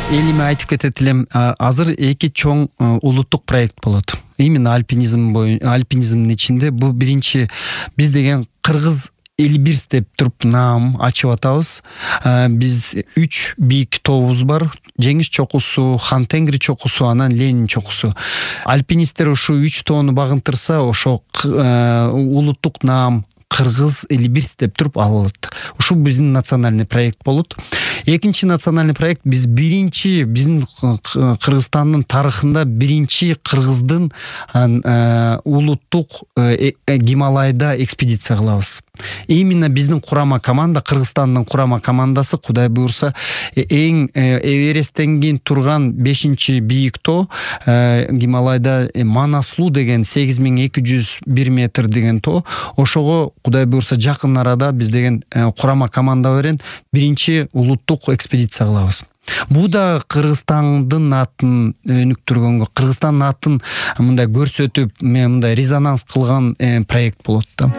Элиме айтып кетет элем, азыр эки чоң улуттук проект болот. Именно альпинизмдин ичинде бул биринчи биз деген Кыргыз Элибирс деп туруп наам ачып атабыз. Биз 3 бийик тообуз бар. Жеңиш чокусу, Хан Тенгри чокусу, анан Ленин чокусу. Альпинисттер ушул 3 тоону багынтырса, ошо улуттук наам Кыргыз Элибирс деп туруп алынат. Ушул биздин национальный проект болот. Экинчи национальный проект биздин Кыргызстандын тарыхында биринчи кыргыздын улуттук Гималайда экспедиция кылабыз. Именно биздин курама команда, Кыргызстандын курама командасы Кудай буйрса эң Эвересттен кийин турган 5-чи бийик тоо Гималайда Манаслуу деген 8201 метр деген тоо. Ошого Кудай буйрса жакын арада биз деген курама команда менен биринчи улуттук экспедиция кылабыз. Бул да Кыргызстандын атын өнүктүргөнгө, Кыргызстандын атын мындай көрсөтүп, мындай резонанс кылган проект болот да.